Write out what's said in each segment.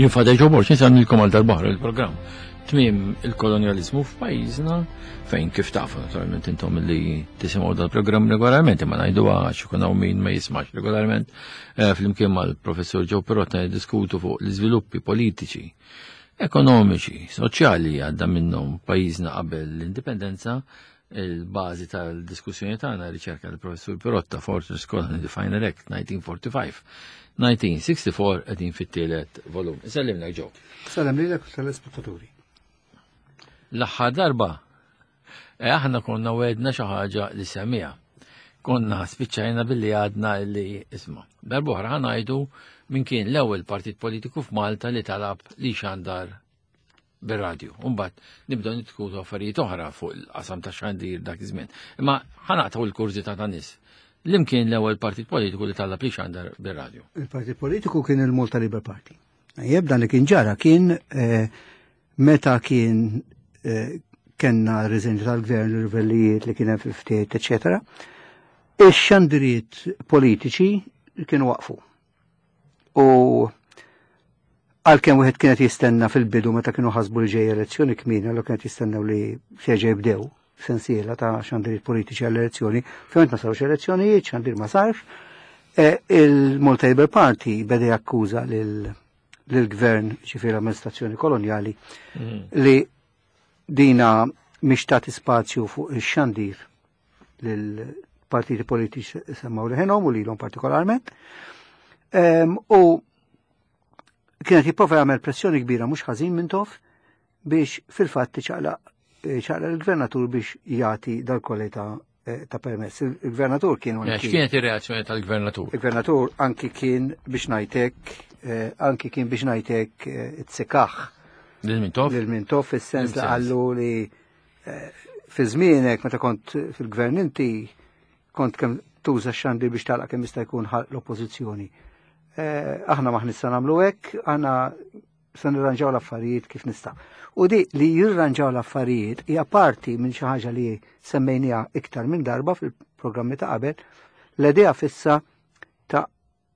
Jien Father Joe Borg, nilkom għal darbaħra il-programm tmiem il-kolonjalizmu f'pajjiżna fejn kif tafu naturalment intom li tisimgħu dal-programm regolarment imma ngħidu għax ikun hawn min ma jismax regolarment eh, flimkien mal-professur Joe Perotta niddiskutu fuq l-iżviluppi politiċi, ekonomiċi, soċjali għadda minnhom pajjiżna qabel l-indipendenza il-bażi tal-diskussjoni tagħna riċerka tal-professur Pirotta Fortress Colony the Final Act 1945 1964 qegħdin fit-tielet volum. Isellimna ġew. Salem lilek u tal-ispettaturi. L-aħħar darba eh, aħna konna wedna xi ħaġa li semmiha. Konna spiċċajna billi għadna li isma'. Darba oħra ħanajdu min kien l-ewwel partit politiku f'Malta li talab li xandar bir-radju. Umbagħad nibdew nitkunu affarijiet oħra fuq il-qasam ta' xandir dak iż-żmien. Imma ħanaqtaw il-kurżità ta' nies. Lim kien l-ewwel partit politiku li talab li xandar bir-radju? Il-partit politiku kien il-Malta Labour Party. Jeb dan li kien ġara kien eh, meta kien eh, kenna riżenju tal-gvern, l-rivellijiet li kien hemm fil-ftiet, eċetera. Ix-xandiriet politiċi kienu waqfu. U għalkemm wieħed kienet jistenna fil-bidu meta kienu ħasbu li ġej elezzjoni kmieni, allura kienet jistennew li se jibdew sensiela ta' xandiriet politiċi għall-elezzjoni, ovvjament ma sarux elezzjonijiet, xandir ma sarx. E, Il-Malta Labour Party beda jakkuża lill-gvern, ġifieri l-amministrazzjoni kolonjali, li dina mhix tagħti spazju fuq ix-xandir lill-partiti politiċi semmaw leħenhom u lilhom partikolarment. U kienet jipprova jagħmel pressjoni kbira mhux ħażin Mintoff biex fil-fatt ċaqlaq il-gvernatur biex jagħti dal-kolli ta' ta' permess. Il-gvernatur kien Eh, X'kienet ir-reazzjoni tal-gvernatur? Il-gvernatur anki kien biex ngħidlek anki kien biex ngħidlek it-sikaħ Lil Mintoff? lil Mintoff fis-sens li Fis-sens. qallu li fi żmienek meta kont fil-gvern inti kont kemm tuża x-xandir biex tagħlaq kemm jista' jkun ħalq l-oppożizzjoni. Aħna maħ nista' nagħmlu hekk, aħna se nirranġaw l-affarijiet kif nista'. U di li jirranġaw l-affarijiet hija parti minn xi ħaġa li semmejniha iktar minn darba fil-programmi ta' qabel, l-idea fissa ta'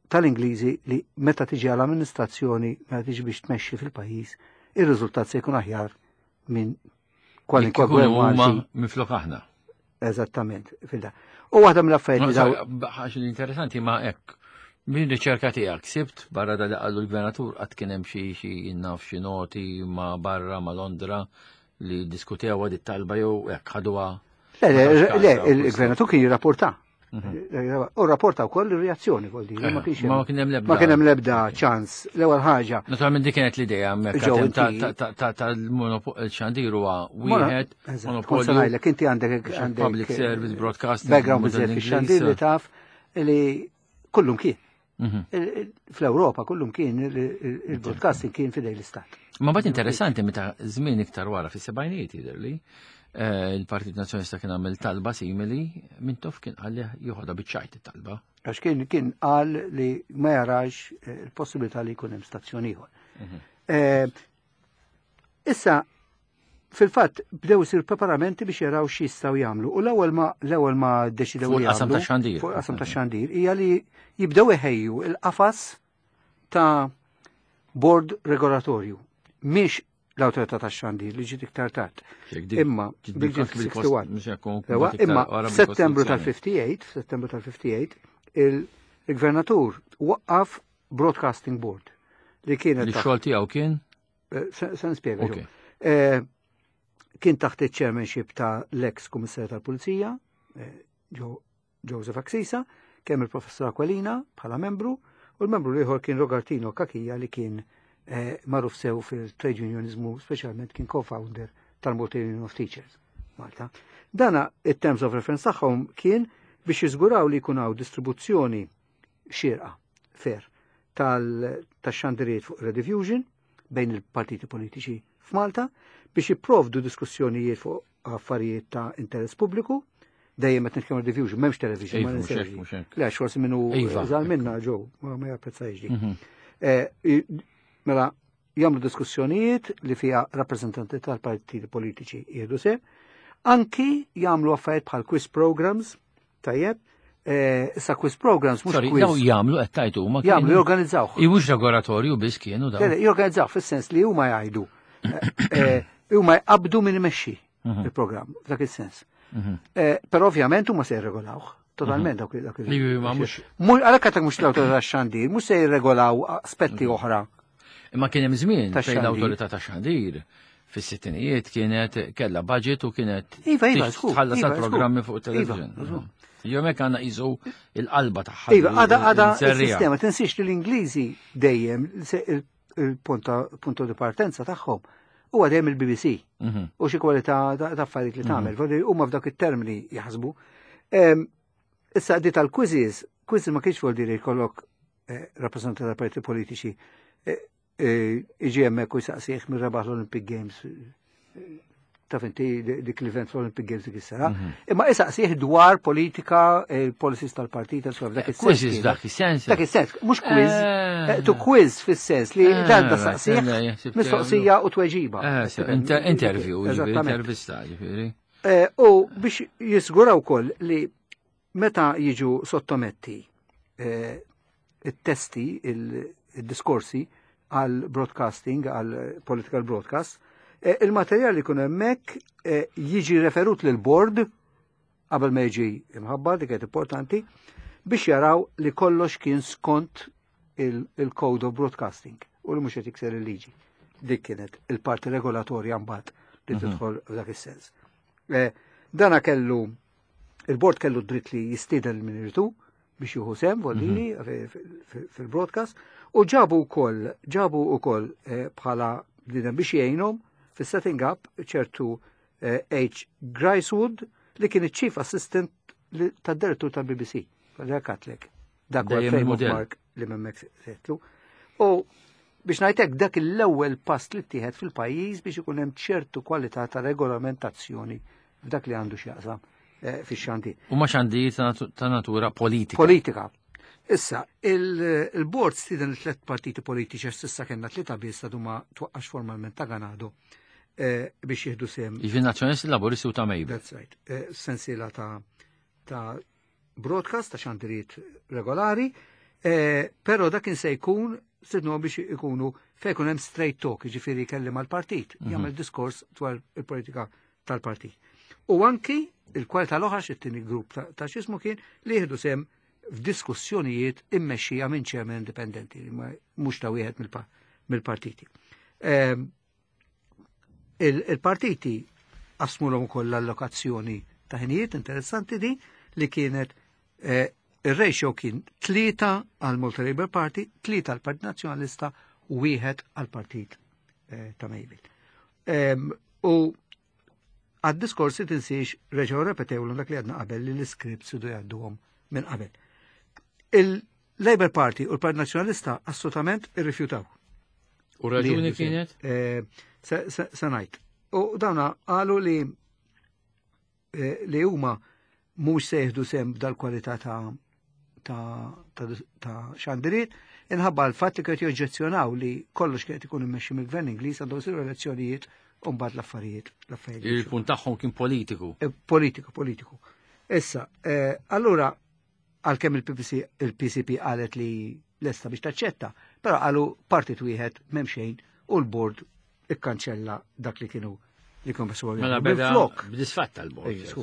tal-Ingliżi li meta tiġi għall-amministrazzjoni, meta tiġi biex tmexxi fil-pajjiż, ir-riżultat se jkun aħjar minn kwalinkwa Jekk ikunu gvern huma Malti. minflok aħna. Eżattament, fil-da. U waħda mill-affarijiet li daw Ħaġa interessanti ma hekk. Min riċerka tiegħek sibt barra da li qallu l-gvernatur qatt kien hemm xi xi naf xi noti ma barra ma Londra li diskutew dit talba jew hekk ħaduha. Le, le, Ma tafx le, każha, il-gvernatur kien jirrapporta. U rapporta wkoll ir-reazzjoni vuol dire, ma kienx Ma kien hemm l-ebda. Ma kien hemm l-ebda ċans. L-ewwel ħaġa. Naturalment dik kienet l-idea hemmhekk Ġew ta' inti- tal-xandir huwa wieħed Eżatt, monopolju. kont se ngħidlek, inti għandek biex għandek public service broadcasting background model biżżejjed Ingliż. fix-xandir li taf li kullum kien. Fl-Ewropa kullum kien il-broadcasting kien fidej l-istat. Ma bat interessanti meta żmien iktar wara fis-sebgħinijiet jidher li il-Partit Nazzjonalista kien għamel talba simili, Mintoff kien qal li joħodha biċ-ċajt it-talba. Għax kien qal li ma jarax il-possibilità li jkun hemm stazzjon ieħor. Issa, fil-fatt bdew isir preparamenti biex jaraw x'jistgħu jagħmlu. U l-ewwel ma ddeċidew Fuq li il-qasam jagħmlu ta' xandir. Fuq il-qasam ta' xandir hija li jibdew iħejju il-qafas ta' board regolatorju. Mhix l-awtorità tax-xandir li ġiet iktar tard. Jekk dik- Imma ġiet dik ġiet bil- bil- 61. mhux hekk, kun- Ewa, iktar imma wara f'Settembru bil-Kostituzzjoni. tal-58, f'Settembru tal-58, il-gvernatur waqqaf Broadcasting Board li kienet Li taħt- xogħol tiegħu kien? Se nispjega, Ok. ġo. Kien taħt il-chairmanship ta' l-ex kummissarju tal-Pulizija, Joseph Axisa, kemm il-professor Aquilina bħala membru, u l-membru l-ieħor kien Rogartino Cachia li kien magħruf sew fil-trade unionizmu, speċjalment kien co-founder tal-Malta Union of Teachers Malta. Dana it-terms of reference tagħhom kien biex jiżguraw li jkun hawn distribuzzjoni xierqa, fair, tax-xandiriet fuq Rediffusion bejn il-partiti politiċi f'Malta biex jipprovdu diskussjonijiet fuq affarijiet ta' interess pubbliku. Dejjem qed nitkellmu Rediffusion, m'hemmx television, ma Iva, mhux hekk, ninsewx. mhux hekk. Le, forsi minnu Iva. żgħar minna ġew, ma japprezzajx dik. Mela, jagħmlu diskussjonijiet li fiha rappreżentanti tal-partiti politiċi jieħdu sehem, anki jagħmlu affarijiet bħal quiz programs, tajjeb, Issa quiz programs mhux Sorry, quiz. daw jagħmlu qed tajtu huma Jagħmlu jorganizzaw. Mhux laboratorju biss kienu daw. Jorganizzaw fis-sens li huma jgħidu. Huma jqabdu min imexxi il-programm f'dak is-sens. Però ovvjament huma se jirregolawh. Totalment dawk dak il. Li ma mhux. Għalhekk għatek mhux l-awtorità tax-xandir, mhux se jirregolaw aspetti oħra. Imma kien hemm żmien fejn l-awtorità tax-xandir fis-sittinijiet kienet kella budget u kienet Iva, iva, tħallas iva, programmi fuq television. Jew hekk għandna qisu il-qalba tagħha. Iva, għada għada il-sistema tinsiex li l-Ingliżi dejjem il-punto di partenza tagħhom huwa dejjem il-BBC u xi kwalità ta' affarijiet li tagħmel, huma f'dak it-termini jaħsbu. Issa di tal-quizzes, quizzes ma kienx vuol dire jkollok rappresentanti ta' parti politiċi iġi hemmhekk u jsaqsih minn rebaħ l-Olympic Games taf inti dik l-event fl-Olympic Games dik is-sena. Imma isaqsih dwar politika, il-policies tal-partit, insomma, dak is-sens. Quizzes dak is-sens. Dak is-sens, mhux quiz. Tu quiz fis-sens li dan da saqsih mistoqsija u tweġiba. Interview, intervista, ġifieri. U biex jisguraw ukoll li meta jiġu sottometti it-testi, il-diskorsi għal broadcasting, għal political broadcast, il-materjal li kun hemmhekk jiġi referut lil board qabel ma jiġi imħabbar, dik qed importanti, biex jaraw li kollox kien skont il-code of broadcasting u li mhux qed jikser il-liġi. Dik kienet il-parti regolatorja mbagħad li tidħol f'dak is-sens. Dana kellu il-board kellu dritt li jistieden min iridu biex jieħu sehem voldini fil-broadcast u ġabu wkoll bħala bniedem biex jgħinhom fis-setting up ċertu H. Grisewood li kien iċ-chief assistant tad-direttur tal-BBC. Għalja katlek. Dak huwa frame of mark li memmek setlu. U biex ngħidlek dak l-ewwel pass li ttieħed fil-pajjiż biex ikun hemm ċertu kwalità ta' regolamentazzjoni f'dak li għandu x'jaqsam fix-xandir. U ma xandir ta' natura politika. Politika. Issa, il-board stieden tlet partiti politiċi, s'issa kellna tlieta biss għadu ma twaqqax formalment ta' Ganado biex jieħdu sehem. Jiġifieri Nazzjonalisti, Laburisti u ta' Mejbel. That's right. Sensiela ta' broadcast, ta' xandiriet regolari, pero dak se jkun stednu biex ikunu fejn ikun hemm straight talk, ġifieri kellim għal-partit, jagħmel diskors dwar il-politika tal-partit. U anki il-kwalità l-oħra, it-tieni grupp ta' xismu kien li jieħdu sehem f'diskussjonijiet immexxija minn chairman indipendenti, mhux ta' wieħed mill-partiti. Il-partiti qasmulhom ukoll l-allokazzjoni ta' ħinijiet interessanti di li kienet il-ratio kien 3 għal Malta Labour Party, 3 għal Partit Nazzjonalista u 1 għal Partit ta' Mejbel. U għad-diskorsi tinsiex reġgħu repetewlu dak li għadna qabel li l-scripts idu jgħadduhom minn qabel. Il-Labour Party u l-Partit Nazzjonalista assolutament irrifjutaw. U raġuni kienet? Se ngħid. U dawna qalu li huma mhux se jieħdu sehem dal-kwalità ta' xandiriet, inħabba l-fatt li kienu joġġezzjonaw li kollox kienet ikun immexxi mill-gvern Ingliż, għandhom isiru elezzjonijiet u mbagħad l-affarijiet. Il-punt tagħhom kien politiku. Politiku, politiku. Issa, allura għalkemm il-PPC, il-PCP qalet li lesta biex taċċetta, però qalu partit wieħed m'hemm xejn u l-board ikkanċella dak li kienu besu. Mela beda Minflok, b'disfatta l-bord. Ejja, sku.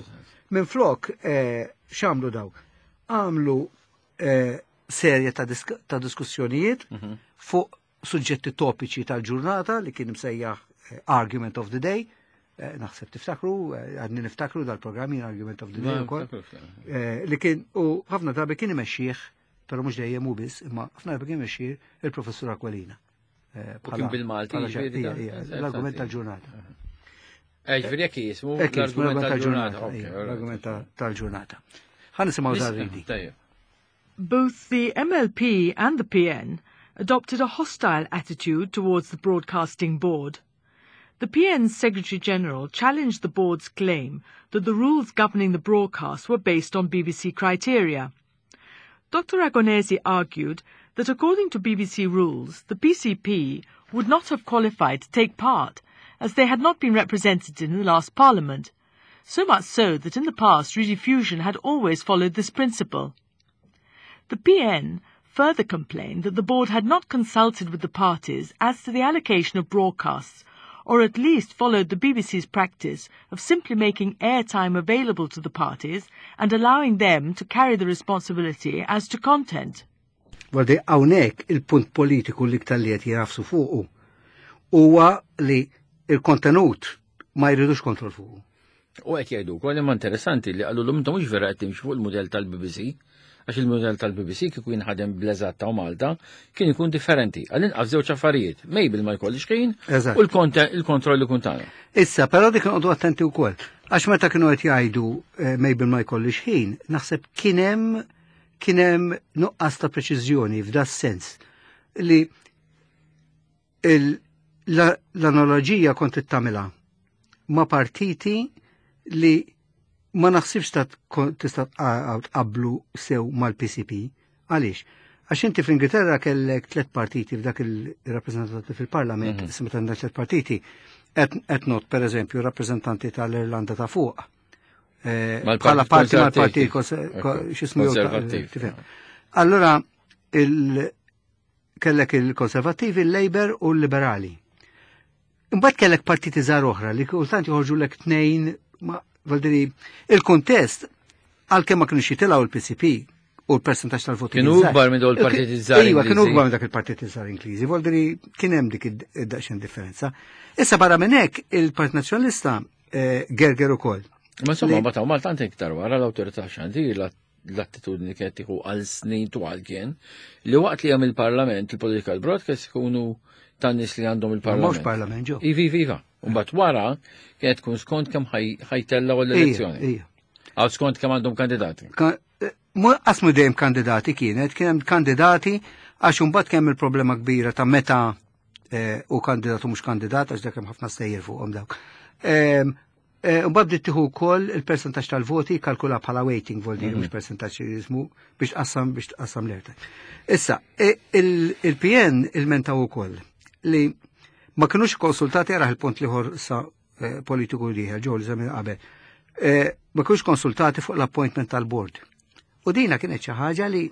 Minflok, x'għamlu daw? Għamlu serje ta' diskussjonijiet fuq suġġetti topiċi tal-ġurnata li kien msejjaħ Argument of the Day. Naħseb tiftakru, għadni niftakru dal-programmi Argument of the Day ukoll. Li kien u ħafna drabi kien imexxih, però mhux dejjem hu biss, imma ħafna drabi kien imexxih il-professur Aquilina. U kien bil-Malti, Bħala ġifieri ija, ija, l-argument tal-ġurnata. Ġifieri jekk jismu Hekk jismu l-argument l-argument tal-ġurnata. tal-ġurnata. Ok, Ija, all right. l-argument tal-ġurnata. Ħa nisimgħu dar-ridi. Tajjeb. Both the MLP and the PN adopted a hostile attitude towards the Broadcasting Board. The PN's Secretary General challenged the board's claim that the rules governing the broadcast were based on BBC criteria. Dr. Ragonesi argued that according to BBC rules, the PCP would not have qualified to take part, as they had not been represented in the last parliament. So much so that in the past rediffusion had always followed this principle. The PN further complained that the board had not consulted with the parties as to the allocation of broadcasts, or at least followed the BBC's practice of simply making airtime available to the parties and allowing them to carry the responsibility as to content. Għaldi hawnhekk il-punt politiku li iktar li qed jagħfsu fuqu huwa li il-kontenut ma jridux kontroll fuqu. U qed jgħidu wkoll imma interessanti li qalu l-intom mhux vera qed timxu fuq il-mudell tal-BBC, għax il-mudell tal-BBC kieku jinħadem bl-eżatt ta' Malta kien ikun differenti. Għall-inqas żewġ affarijiet, Mabel ma jkollix ħin u l-kontroll ikun tagħna. Issa, però dik noqogħdu attenti wkoll. Għax meta kienu qed jgħidu eh, Mabel ma jkollix ħin, naħseb kien hemm kien hemm nuqqas ta' preċiżjoni f'da sens li l-analogija kont tagħmilha ma' partiti li ma naħsibx ta' tista' tqablu sew mal-PCP. Għaliex? Għax inti fl-Ingilterra kellek tliet partiti f'dak il-rappreżentanti fil-Parlament, mm -hmm. meta għandek tliet partiti, qed not pereżempju rappreżentanti tal-Irlanda ta' fuq. Eh, bħala parti mal-partit x'ismu konservattiv. Allora kellek il-konservattivi, il-Labour u l-Liberali. Imbagħad kellek partiti żgħar oħra li kultant joħorġu lek tnejn ma valdiri il-kuntest għalkemm ma kienux jitilgħu il-PCP u l-persentaġġ tal-voti. Kienu ikbar minn dawn il-partiti żgħar. Iva, kienu ikbar minn dak il-partiti żgħar Ingliżi, valdiri kien hemm dik id-daqsxejn differenza. Issa barra minn hekk il-Partit Nazzjonalista eh, gerger ukoll. Ma insomma, ma taw Malta iktar wara l-awtorità xandir l-attitudni kienet tieħu għal snin twal kien li waqt li hemm il-Parlament, il-political broadcast ikunu tan nies li għandhom il-Parlament. Mhux Parlament ġo. Ivi, ivi, iva. Mbagħad wara kienet tkun skont kemm ħajtellgħu l-elezzjoni. Għal skont kemm għandhom kandidati. Eh, qasmu dejjem kandidati kienet, kien hemm kandidati għax imbagħad kemm il-problema kbira ta' meta eh, u kandidat u mhux kandidat għax dak hemm ħafna stejjer fuqhom dawk. Ehm, Eh, mbagħad bdiet tieħu wkoll il-persentaġġ tal-voti kalkula bħala weighting vol dire mhux mhm. persentaġġ jismu biex tqassam biex tqassam l-erta. Issa, e, il-PN il-mentaw ukoll li ma kinux konsultati għaraħ il-punt liħor sa eh, politiku liħer ġew li żemmi qabel. Eh, ma kinux konsultati fuq l-appointment tal-board. U dina kienet xi ħaġa li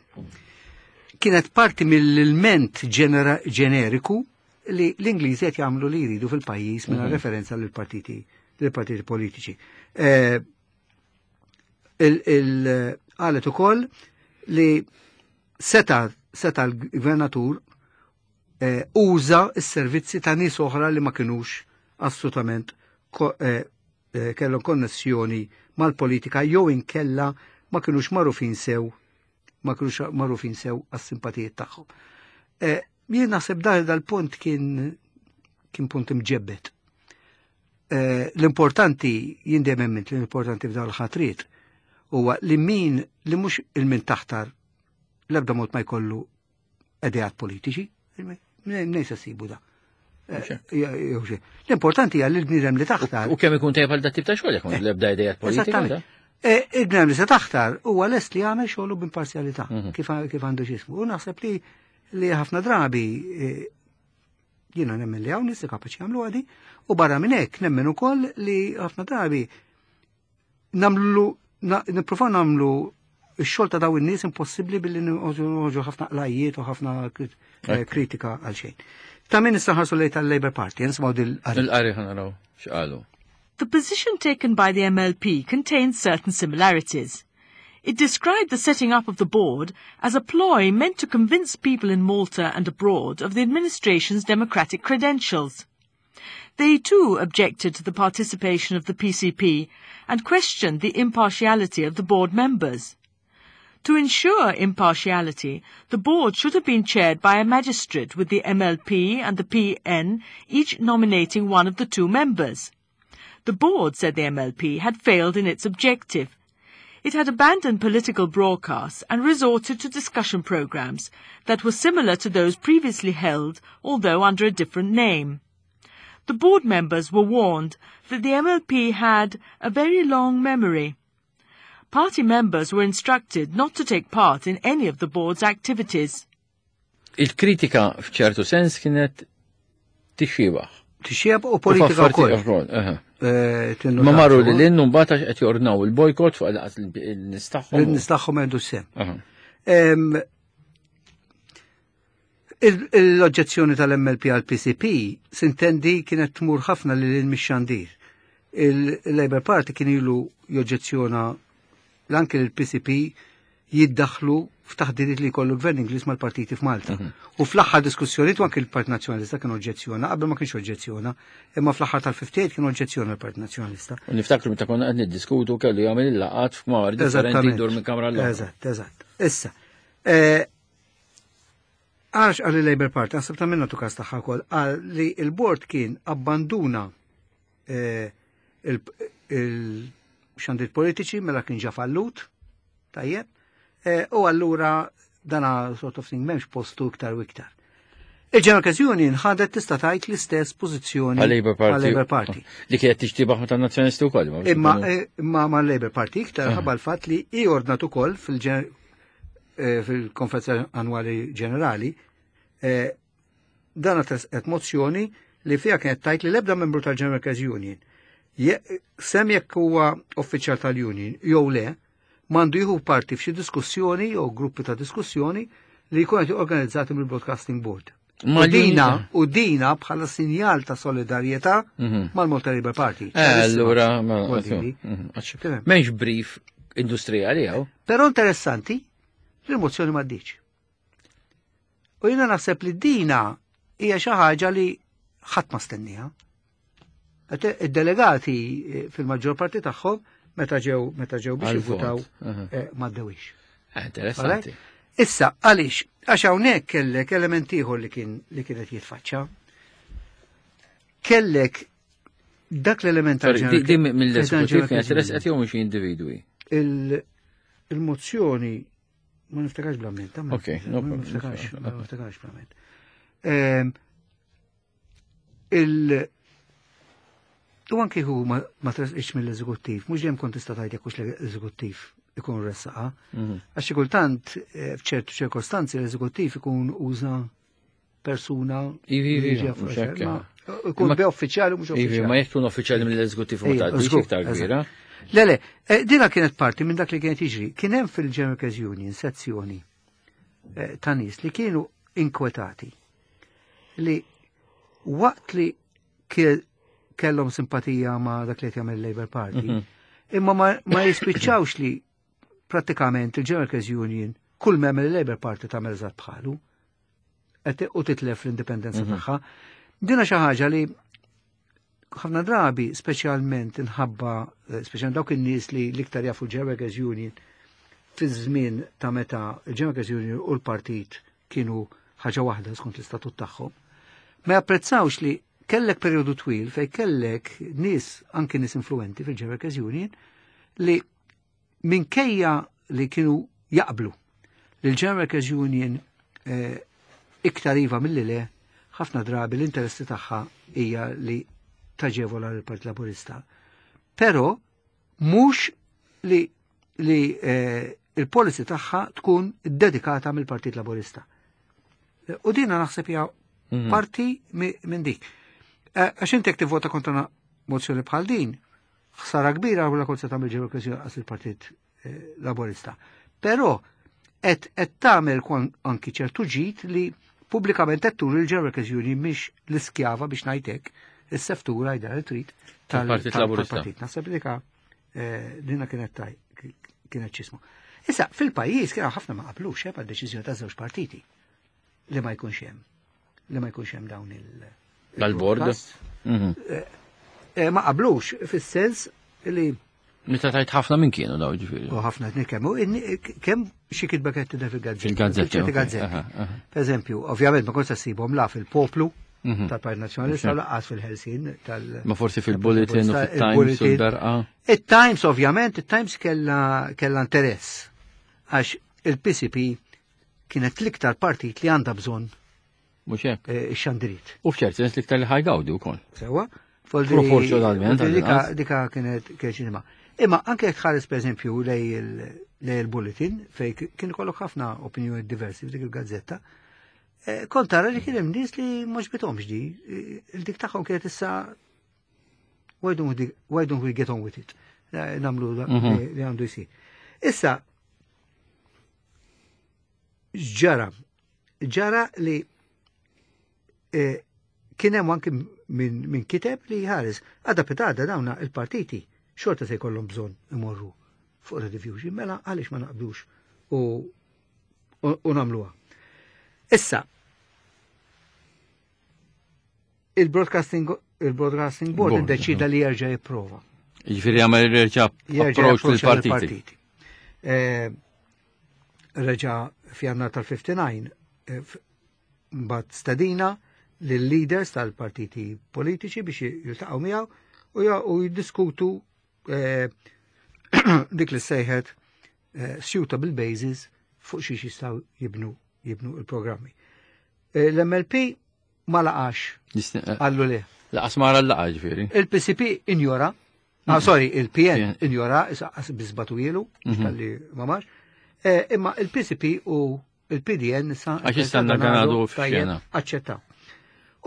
kienet parti mill-ilment ġeneriku li l-Ingliżi qed jagħmlu li jridu fil-pajjiż mingħajr mhm. referenza lill partiti lill-partiti politiċi. Eh, qalet ukoll li seta seta l-gvernatur eh, uża s-servizzi ta' nies oħra li ma kinux assolutament eh, kellhom konnessjoni mal-politika jew inkella ma kinux magħrufin sew ma kinux magħrufin sew għas-simpatijiet tagħhom. Jien naħseb dar dal-punt kien kien punt imġebbet. Eh, l-importanti, jien dejjem emmint li l-importanti f'dawn il-ħatriet huwa li min li mhux il-min taħtar l-ebda mod ma jkollu ideat politiċi, minn se sibu da. Eh, l-importanti hija li l-bniedem li taħtar. U kemm ikun tajjeb għal dat tip ta' xogħol jekk l-ebda ideat politiċi. Eh, il-bniedem li se taħtar huwa lest li jagħmel xogħlu b'imparzjalità mhm. kif għandu x'ismu. U naħseb li li ħafna drabi eh, jiena nemmen li hawn nies li kapaċi jagħmlu għadi u barra minn hekk nemmen ukoll li ħafna drabi namlu nippruvaw namlu x-xogħol ta' daw in-nies impossibbli billi noħorġu ħafna qlajjiet u ħafna eh, kritika għal xejn. Ta' min issa ħarsu lejn tal-Labour Party, nisimgħu dil-qari. Il-qari ħanaraw x'qalu. The position taken by the MLP contains certain similarities. It described the setting up of the board as a ploy meant to convince people in Malta and abroad of the administration's democratic credentials. They too objected to the participation of the PCP and questioned the impartiality of the board members. To ensure impartiality, the board should have been chaired by a magistrate with the MLP and the PN each nominating one of the two members. The board, said the MLP, had failed in its objective. It had abandoned political broadcasts and resorted to discussion programs that were similar to those previously held, although under a different name. The board members were warned that the MLP had a very long memory. Party members were instructed not to take part in any of the board's activities. Il-kritika f'ċertu sens kienet tixxibaħ. Tixxieb u politika wkoll. Eh, Ma marru li l-innu mbagħad għax qed jordnaw il-bojkot fuq laqas il-nies tagħhom. Il-nies tagħhom għandu sem. L-oġġezzjoni tal-MLP għal PCP sintendi kienet tmur ħafna lil mix-xandir. Il-Labour Party kien ilu joġġezzjona l-anke l-PCP jiddaħlu f'taħdidiet li jkollu gvern Ingliż mal-partiti f'Malta. U fl-aħħar diskussjonijiet u anke l-Partit Nazzjonalista kien oġġezzjona, qabel ma kienx oġġezzjona, imma fl-aħħar tal-58 kien oġġezzjona l-Partit Nazzjonalista. U niftakru meta konna qed niddiskutu kellu jagħmel il-laqgħat f'kmar differenti jdur minn kamra l Eżatt, eżatt. Issa, eh, għax għal il-Labour Party, għasab ta' minna tukas tagħha wkoll, għal li il-bord kien abbanduna eh, il-xandiet politiċi mela kien ġa fallut, tajjeb, eh, u allura dana sort of thing m'hemmx postu iktar u iktar. Il-General Union ħadet tista' tgħid l-istess pożizzjoni Għal-Labour Party. għal-Labour Party. Li kienet tixtibaħ ma tan-Nazzjonisti wkoll. ma Imma eh, imma ma l-Labour Party iktar ħabba l-fatt li i ordnat ukoll fil-konferenza annwali ġenerali eh, dan qed mozzjoni li fiha kienet tajt li l-ebda membru tal-General Workers Union sem jekk huwa uffiċjal tal-union jew le m'għandu jieħu parti f'xi diskussjoni jew gruppi ta' diskussjoni li jkun qed organizzati mill-Broadcasting Board. Ma U dina, u dina bħala sinjal ta' solidarjetà mal-Malta Labour Party. Eh, allura, ma Vuol dire. Mhm, M'hemmx brief industrijali hawn. Però interessanti li l-mozzjoni ma ddiċ. U jiena naħseb li dina hija xi ħaġa li ħadd ma stenniha. Id-delegati eh, fil-maġġor parti tagħhom meta ġew biex Għal-vot, jivvutaw ma ddewix. Interessanti. Issa, għaliex, għax hawnhekk kellek element ieħor li kienet jitfaċċa. Kellek dak l-element Sorry, tal-ġeneral- di mill-eżekutiv kienet General- resqet jew mhux individwi. Il-mozzjoni ma niftakarx bl-amment. ta' ma Ok, no ma problem. niftakarx, ma niftakarx bl-amment. Il U anki hu ma tresqitx mill-eżekuttiv, mhux dejjem kont tista' tgħid jekk hux l-eżekuttiv ikun ressaqa. Għax xi kultant eh, f'ċertu ċirkostanzi l-eżekuttiv ikun uża persuna Ivi, ivi, li ġie mhux hekk, ma ikun Imma- be uffiċjali u mhux Ivi, uffiċjali. ma jekk tkun uffiċjali mill-eżekutiv ma Ejja, tgħaddix żgur, iktar eżatt. kbira. Le, le, eh, dina kienet parti minn dak li kienet jiġri. Kien hemm fil-General Workers Union sezzjoni eh, ta' nies li kienu inkwetati li waqt li kellhom simpatija ma' dak li qed jagħmel il-Labour Party, imma ma jispiċċawx li prattikament il-General Workers Union kull mem il-Labour Party tagħmel eżatt bħalu u titlef l-indipendenza tagħha. Dina xi ħaġa li ħafna drabi, speċjalment inħabba, eh, speċjalment dawk in-nies li l-iktar jafu l-General Workers Union fi żmien ta' meta il-General Workers Union u l-partit kienu ħaġa waħda skont l-istatut tagħhom, ma japprezzawx li kellek periodu twil fej kellek nies, anki nies influenti fil-General Workers Union, li minkejja li kienu jaqblu li l-General Workers Union eh, iktar iva mill-li le, ħafna drabi l-interessi tagħha hija li taġevola l-Partit Laburista. Però mhux li eh, il-policy tagħha tkun dedikata mill-Partit Laburista. U dina naħseb hija parti minn dik. Eh, Għax inti jekk tivvota kontra mozzjoni bħal din, ħsara kbira u la kont se tagħmel ġewwa għas il-Partit eh, Laburista. Però qed tagħmel anki ċertu ġid li pubblikament qed turi l-General Workers Union mhix l-iskjava biex ngħidlek is-seftura jda li trid Tal-Partit Laburista. tal-partit. Naħseb li dika eh, dina kienet taj kienet ċismu. Issa, fil-pajjiż kien hawn ħafna ma qablux eh, deċiżjoni ta' żewġ partiti li ma jkunx hemm li ma jkunx hemm dawn il- Dal-bord. il-broadcast. Eh, Ma qablux fis-sens li Meta tajt ħafna minn kienu daw ġifieri. u ħafna qed nitkellmu kemm xi kitba kienet tidher fil-gazzetti. Fil-gazzetti, Fil-ċerti ok. gazzetti. Aha, aha. Per eżempju, ovvjament ma kontx ssibhom la fil-Poplu tal-Partit Nazzjonalista u lanqas fil-Ħelsien tal- Ma forsi fil-Bulletin u fil-Times u il-Bulletin. l-Berqa. Il-Times ovvjament, il-Times kella interess għax il-PCP kienet l-iktar partit li għandha bżonn Mhux hekk. eh, ix-xandirit. U f'ċert sens l-iktar li ħajgawdi wkoll. Sewa? Foldi- Proporzjonalment, foldi Dika, għal-inqas. dika kienet ċinema. Imma anke jekk tħares per eżempju lej il-bulletin fej kien ikollok ħafna opinjoni diversi f'dik il-gazzetta, eh, kont tara li kien hemm nies li mhux bitomx di, eh, il-dik tagħhom kienet issa why don't we get on with it? Nagħmlu li għandu jsir. Issa, Ġara, ġara li eh, kien hemm anki minn min kiteb li jħares għada pitada dawna il-partiti xorta se jkollhom bżonn imorru fuq Rediffusion, mela għaliex ma naqblux u u nagħmluha. Issa, il-Broadcasting il-Broadcasting Board iddeċida li jerġa' jipprova. Jiġifieri jagħmel jerġa' approach lill-partiti. Eh, reġa' f'Jannar tal-59 eh, mbagħad stedina lill-leaders tal-partiti politiċi biex jiltaqgħu miegħu u jiddiskutu eh, dik li sejħet suitable basis fuq xiex jistgħu jibnu jibnu il-programmi. L-MLP ma laqax. Għallu le. Laqas mara l-laqa ġifieri. Il-PCP injora, ah, sorry, il-PN injora, bizbatu jilu, mhm. tal-li ma marx. Eh, imma il-PCP u il-PDN sa. Għax jistanna għanadu f'xena. Aċċettaw.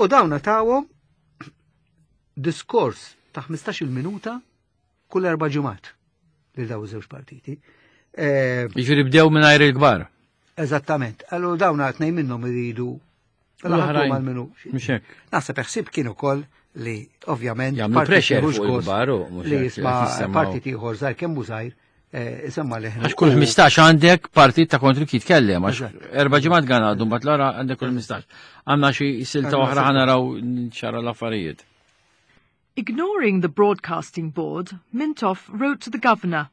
U dawna tawhom diskors ta' 15 minuta kull erba' ġimgħat lil daw iż-żewġ partiti. Eh, jiġifieri bdew mingħajr il-kbar. Eżattament. Allura dawn tnejn minnhom iridu l-oħrajn mal-minu. Naħseb ħsieb kien ukoll li ovvjament jagħmlu pressure fuq il-kbar u li jisma' partit ieħor żgħir kemm hu żgħir eh, isemma leħnu. Għax kull 15 għandek partit ta' kontri jitkellem, għax erba' ġimgħat gan għadu, mbagħad l għandek kull 15. Għandna xi silta oħra ħanaraw ċara l-affarijiet. Ignoring the Broadcasting Board, Mintoff wrote to the governor.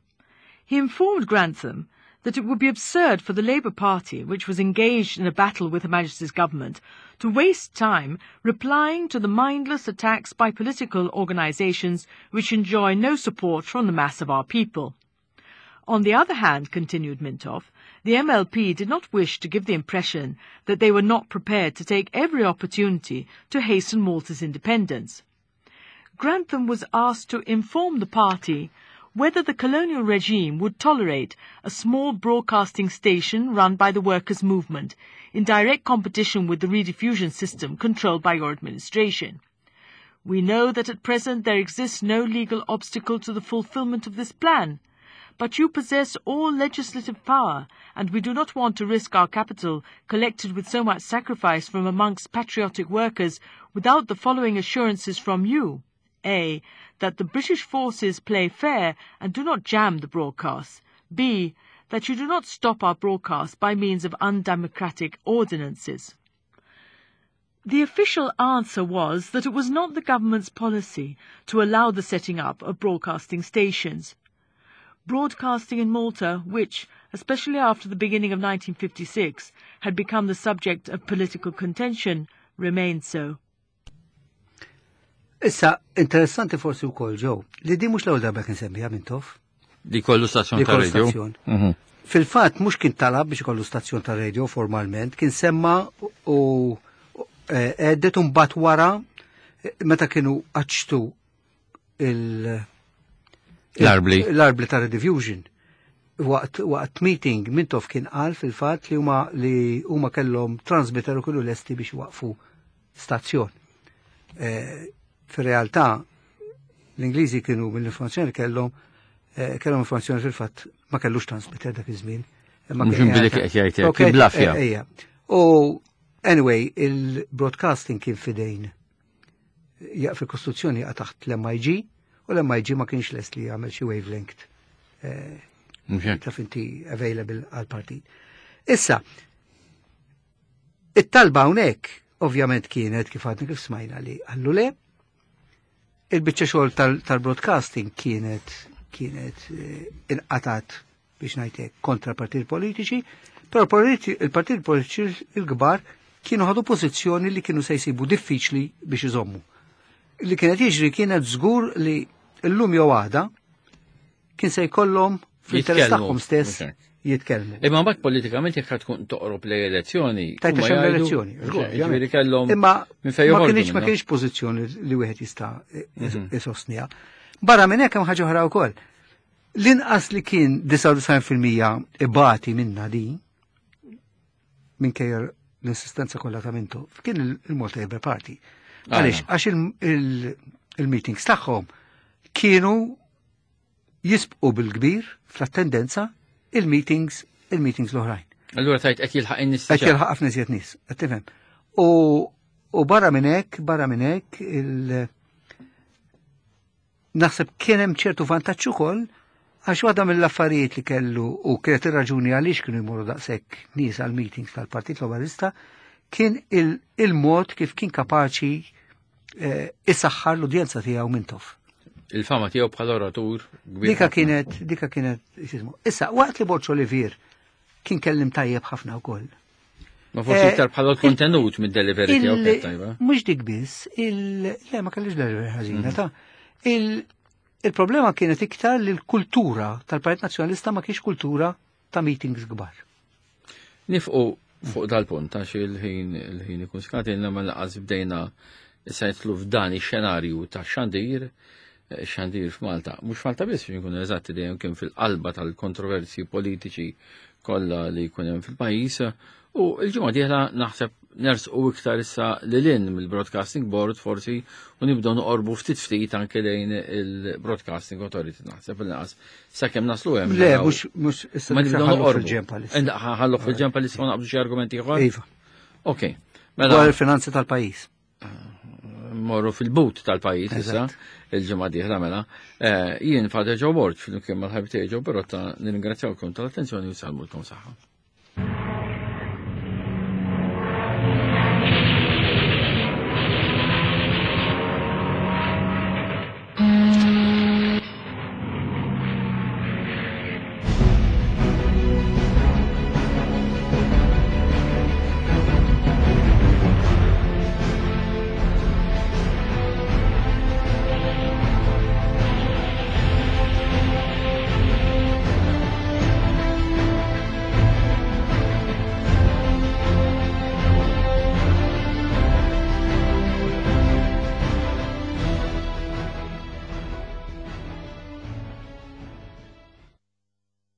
He informed Grantham that it would be absurd for the Labour Party, which was engaged in a battle with Her Majesty's government, to waste time replying to the mindless attacks by political organisations which enjoy no support from the mass of our people. On the other hand, continued Mintoff, the MLP did not wish to give the impression that they were not prepared to take every opportunity to hasten Malta's independence. Grantham was asked to inform the party whether the colonial regime would tolerate a small broadcasting station run by the workers' movement in direct competition with the rediffusion system controlled by your administration. We know that at present there exists no legal obstacle to the fulfillment of this plan. But you possess all legislative power, and we do not want to risk our capital, collected with so much sacrifice from amongst patriotic workers, without the following assurances from you. A. That the British forces play fair and do not jam the broadcasts. B. That you do not stop our broadcasts by means of undemocratic ordinances. The official answer was that it was not the government's policy to allow the setting up of broadcasting stations. Broadcasting in Malta, which, especially after the beginning of 1956, had become the subject of political contention, remained so. Issa, interessanti forsi wkoll ġew, li di mhux l-ewwel darba kien semmiha Mintoff. Li kollu stazzjon ta' radio. Mhm. Fil-fatt mhux kien talab biex ikollu stazzjon ta' radio formalment, kien semma u eh, għeddet mbagħad wara eh, meta kienu għaċtu il- L-arbli. L-arbli ta' Rediffusion. Waqt, waqt meeting Mintoff kien qal fil-fatt li huma li huma kellhom transmitter u kienu lesti biex waqfu stazzjon. Eh, fir-realtà l-Ingliżi kienu mill-informazzjoni kellhom eh, kellhom informazzjoni fil-fatt ma kellux transmitter dak iż-żmien. Mhux inbidel qed jgħid kien blafja. Eh, u anyway, il-broadcasting kien fidejn jaq fil-kostruzzjoni jaqa' taħt l-MIG u l-MIG ma kienx lest li jagħmel xi wavelength taf inti available għal partit. Issa, it-talba hawnhekk ovvjament kienet kif għadna kif smajna li għallu le, il-biċċa xogħol tal-broadcasting kienet kienet eh, inqatat biex ngħidlek kontra partit politiċi, però il-partit politiċi il-kbar kienu ħadu pożizzjoni li kienu se jsibu diffiċli biex iżommu. Li kienet jiġri kienet żgur li llum jew għada kien se jkollhom fl-interess tagħhom stess jitkellmu. Imma mbagħad politikament jekk tkun toqrob lej elezzjoni. Tajt xemm elezzjoni, ġifieri kellhom. Imma ma kienx ma kienx pożizzjoni li wieħed jista' mhm. isostniha. Barra minn hekk hemm ħaġa oħra wkoll. L-inqas li kien 99% ibati minna din, minkejja l-insistenza kollha ta' Mintoff, kien il-Malta Labour Party. Għaliex, għax il-meetings tagħhom kienu jisbqu bil-kbir fl-attendenza il-meetings il-meetings l-oħrajn. Allura tajt qed jilħaq in-nies. Qed jilħaq ħafna iżjed nies, qed tifhem. U barra minn hekk, barra minn hekk, il naħseb kien hemm ċertu vantaġġ ukoll għax waħda mill-affarijiet li kellu u kienet ir-raġuni għaliex kienu jmorru daqshekk nies għal meetings tal-Partit Laburista kien il-mod kif kien kapaċi eh, isaħħar l-udjenza tiegħu Mintoff. Il-fama tiegħu bħala oratur kbir. Dika kienet, dika kienet, issa, waqt li Borċ Olivier kien kellim tajjeb ħafna wkoll. Ma forsi eh, iktar bħala l-kontenut mid-delivery tiegħu kien tajba. Mhux dik biss, il le ma kellix delivery ħażina mhm. ta' il-problema kienet iktar li l-kultura tal-Partit Nazzjonalista ma kienx kultura ta' meetings kbar. Nifqu fuq dal-punt għax il-ħin il-ħin ikun skatilna ma laqas bdejna issa jitlu f'dan ix-xenarju ta' xandir eh, xandir f'Malta. Mhux Malta biss biex nkunu eżatti dejjem kien fil-qalba tal-kontroversji politiċi kollha li jkun hemm fil-pajjiż. U l-ġimgħa dieħla naħseb nersqu iktar issa lil hinn mill-Broadcasting Board forsi u nibdew noqorbu ftit ftit anke lejn il-Broadcasting Authority naħseb il-naqas sakemm naslu hemm. Le, mhux mhux issa ma nibdew noqorbu. Ħallu fil-ġemp għalissa ma naqbdu xi argumenti ieħor. Iva. Ok. Mela. Dwar il-finanzi tal-pajjiż. Morru fil-but tal-pajjiż issa il-ġimgħa dieħla mela. Eh, jien Father Joe Borg fil-kien mal-ħabib tiegħi Joe Perotta nirringrazzjawkom tal-attenzjoni u salmulkom saħħa.